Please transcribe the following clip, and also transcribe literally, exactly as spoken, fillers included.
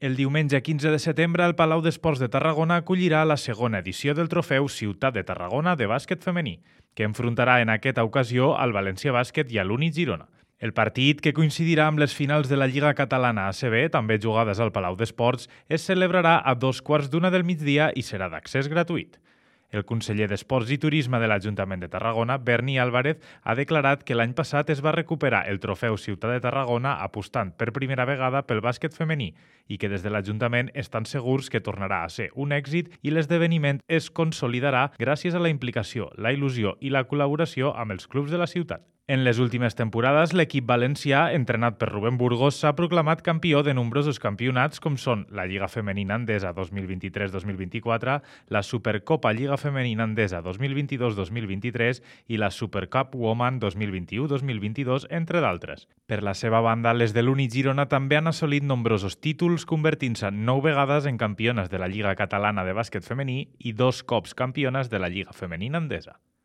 El diumenge quinze de setembre, el Palau d'Esports de Tarragona acollirà la segona edició del trofeu Ciutat de Tarragona de bàsquet femení, que enfrontarà en aquesta ocasió al València Bàsquet i a l'Uni Girona. El partit, que coincidirà amb les finals de la Lliga Catalana A C B, també jugades al Palau d'Esports, es celebrarà a dos quarts d'una del migdia i serà d'accés gratuït. El conseller d'Esports i Turisme de l'Ajuntament de Tarragona, Berni Álvarez, ha declarat que l'any passat es va recuperar el trofeu Ciutat de Tarragona apostant per primera vegada pel bàsquet femení i que des de l'Ajuntament estan segurs que tornarà a ser un èxit i l'esdeveniment es consolidarà gràcies a la implicació, la il·lusió i la col·laboració amb els clubs de la ciutat. En les últimes temporades, l'equip valencià, entrenat per Rubén Burgos, s'ha proclamat campió de nombrosos campionats com són la Lliga Femenina Endesa dos mil vint-i-tres dos mil vint-i-quatre, la Supercopa Lliga Femenina Endesa dos mil vint-i-dos dos mil vint-i-tres i la Supercup Woman dos mil vint-i-u dos mil vint-i-dos, entre d'altres. Per la seva banda, les de l'Uni Girona també han assolit nombrosos títols, convertint-se nou vegades en campiones de la Lliga Catalana de bàsquet femení i dos cops campiones de la Lliga Femenina Endesa.